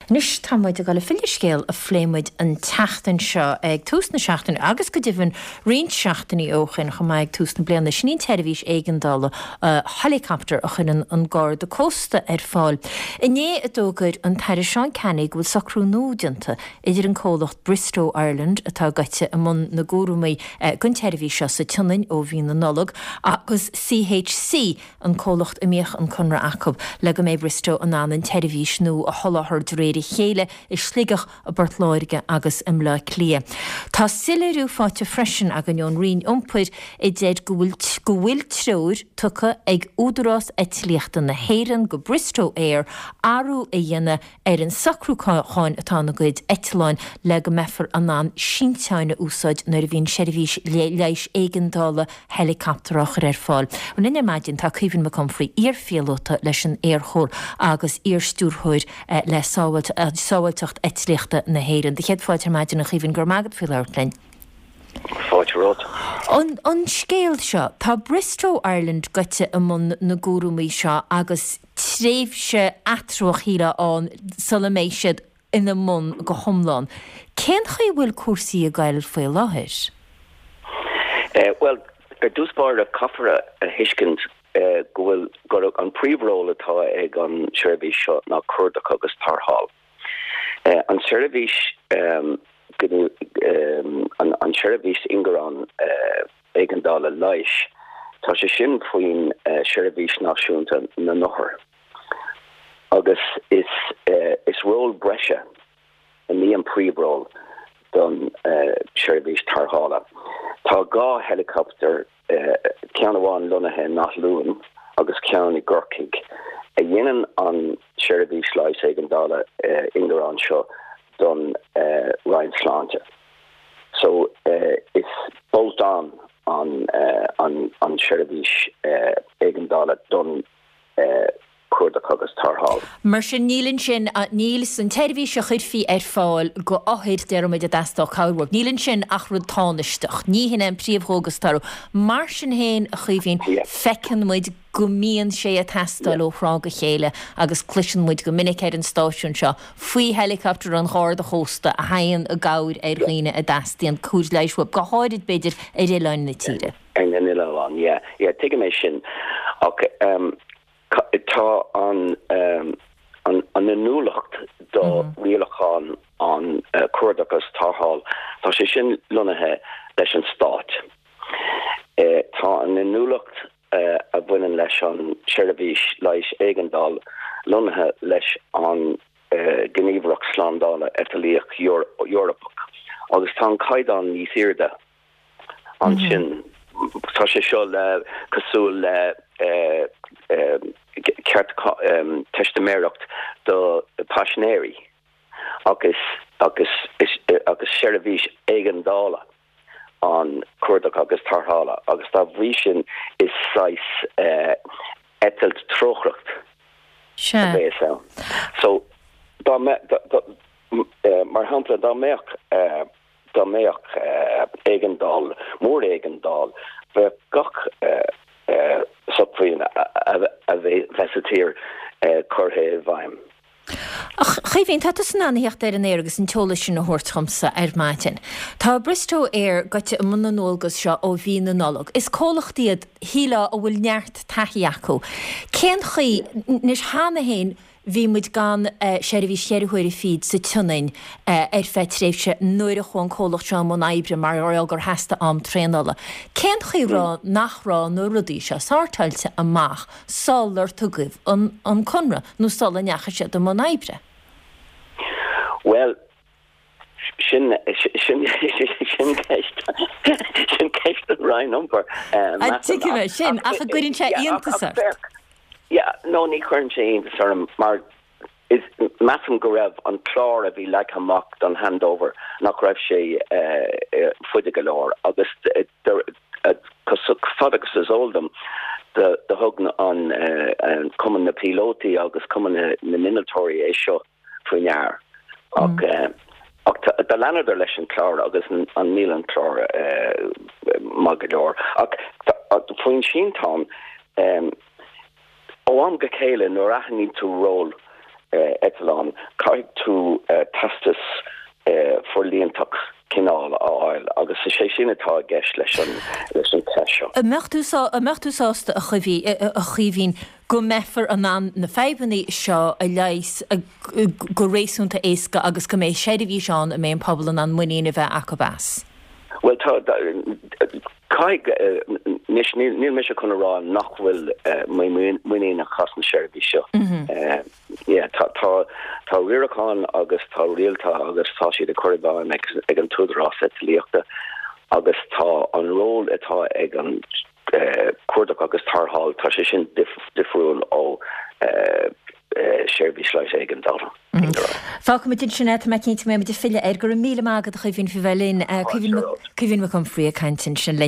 Anois tá muid ag dul ag filleadh ar scéal a phléigh muid an tseachtain seo ag tús na seachtaine agus go deimhin roinnt seachtainí ó shin chomh maith ag tús na bliana. Sin í an tseirbhís éigeandála helicopter a chuireann an Garda Cósta ar fáil. Inné a d'fhógair an tAire Seán Canney go bhfuil socrú nua déanta idir an comhlacht Bristow Ireland atá gaibhte i mbun na gcúramaí don tseirbhís seo sa tSionainn ó mhí na Nollag agus CHC, an comhlacht a mbíodh an conradh acu, le go mbeidh Bristow in ann an tseirbhís nua a sholáthar de réir a chéile i Sligeach, i bPort Láirge agus i mBleá Cliath. Tá soiléiriú faighte freisin againn ón Roinn Iompair a deir go bhfuil go bhfuil treoir tugtha ag Údarás Eitlíochta na hÉireann go Bristow Air athrú a dhéanamh ar an socrúchán atá ina gcuid eitleáin le go mbeifear in ann sínteáin a úsáid nuair a bhíonn seirbhís leighis éigeandála helicopter á chur ar fáil. Linn ar maidin tá Caoimhín Mac Unfraidh, iar-phíolóta leis an Aerchór agus iar-stiúrthóir le Sábháilteacht Eitlíochta na hÉireann. Do chéad fáilte ar maidin a Chaoimhín, go raibh maith agat faoi labhairt linn. Fáilte romhat. An scéal seo, tá Bristow Ireland gaibhte i mbun na gcúramaí seo agus tréimhse eatramhach shílfeá ann sula mbeidh siad ina mbun go hiomlán. Cén chaoi a bhfuil cúrsaí ag goil faoi láthair? Bhuel, ar dtús báire, caithfear a thuiscint go bhfuil, gur an príomhról atá ag an seirbhís seo ná cuardach agus tarrtháil. An tseirbhís, an tseirbhís ingearán éigeandála leighis, tá sé sin faoin Seirbhís Náisiúnta na nOthar agus is is ról breise ní an príomhról don tseirbhís tarrthála. Tá 2 heileacaptar, ceann amháin lonnaithe in Áth Luain agus ceann i gCorcaigh, a dhéanann an tseirbhís leighis éigeandála ingearán seo don Roinn Sláinte. So is bolt on an an tseirbhís éigeandála don chuardach agus tarrtháil. Mar sin níl ansin, níl san tseirbhís a chuirfí ar fáil go othair, déarfaidh muid, a dteastódh cabhair uathu, níl ansin ach rud tánaisteach. Ní hin é an príomhdhualgas atá orthu. Mar sin féin, a Chaoimhín, feiceann muid go mbíonn sé ag teastáil ó thráth go chéile agus cloiseann muid go minic ar an stáisiún seo faoi helicopter an Gharda Chósta a thagann i gcabhair ar dhaoine a dteastaíonn cóir leighis uathu, go háirid, b'fhéidir, ar oileáin na tíre. Ar na n-oileán, yeah. Yeah, tuigim é sin. Ach tá an an inniúlacht do rialacháin an cuardach agus tarrtháil, tá sé sin lonnaithe leis an Stát. Tá an inniúlacht a bhaineann leis an tseirbhís leighis éigeandála lonnaithe leis an Gníomhaireacht Slándála Eitlíoch Eorpach agus tá an caighdeán níos airde ansin. Tá sé seo le cosúil le ceart teistiméireacht do paisinéirí agus agus agus seirbhís éigeandála. an cuardach agus tarrthála agus dá bhrí sin is saghas eitilt trócaireacht a bhéas ann. So dá mbeadh, mar shampla, dá mbeadh, dá mbeadh éigeandáil, mór-éigeandáil, bheadh gach sócmhainn a bheith sa tír curtha i bhfeidhm. A Chaoimhín, tá tusa in ann a theacht ar an aer agus an t-eolas sin a thabhairt dhomsa ar maidin. Tá Bristow Air gaibhte i mbun na ndualgas seo ó mhí na Nollag. Is comhlacht iad, shílfeá, a bhfuil neart taithí acu. Cén chaoi, anois cheana féin bhí muid gan seirbhís cheithre huaire fichead sa tSionainn ar feadh tréimhse nuair a chuaigh an comhlacht seo i mbun oibre mar gheall gur theastaigh am traenála. Cén chaoi raibh nach raibh na rudaí seo sórtáilte amach sular tugadh an conradh nó sula ndeachaigh siad i mbun oibre? Bhuel, sin, sin, sin ceist, sin ceist don Roinn Iompair, measaim. Tuigim é sin, ach an gcuireann sé iontas ort? Yeah, no, ní chuireann sé iontas orm mar is, measaim go raibh an clár a bhí leagtha amach don handover, nach raibh sé faide go leor agus Chomh fada agus is eol dom, do thug an Cumann na Píolótaí agus Cumann na nInnealtóirí é seo faoi ndear. Ach do leanadar leis an clár agus an níl an clár maith go leor. Ach faoin sínteán, ó am go chéile nuair a aithníonn tú ról. Eitleán, caithfidh tú teastas forlíontach cineál a fháil agus is é sin atá i gceist leis an leis an teist seo. An mbeadh tú an mbeadh tú sásta, a Chaoimhín, go mbeifear in ann na fadhbanna seo a leigheas go réasúnta éasca agus go mbeidh seirbhís ann a mbeidh an pobal in ann muinín a bheith acu as? Bhuel, tá, caithfidh, anois níl mise chun a rá nach bhfuil mé muiníneach as an seirbhís seo. Yeah, tá, tá, tá riarachán agus tá rialacha agus tá siad ag cur i bhfeidhm ag, ag an tÚdarás Eitlíochta agus tá an ról atá ag an cuardach agus tarrtháil, tá sé sin difriúil ó seirbhís leighis éigeandála. Fágfaimid ansin é, tá mé cinnte go mbeidh muid ag filleadh air. Go raibh míle maith agat a Chaoimhín faoi bheith linn. Caoimhín Mac Unfraidh ag caint ansin linn.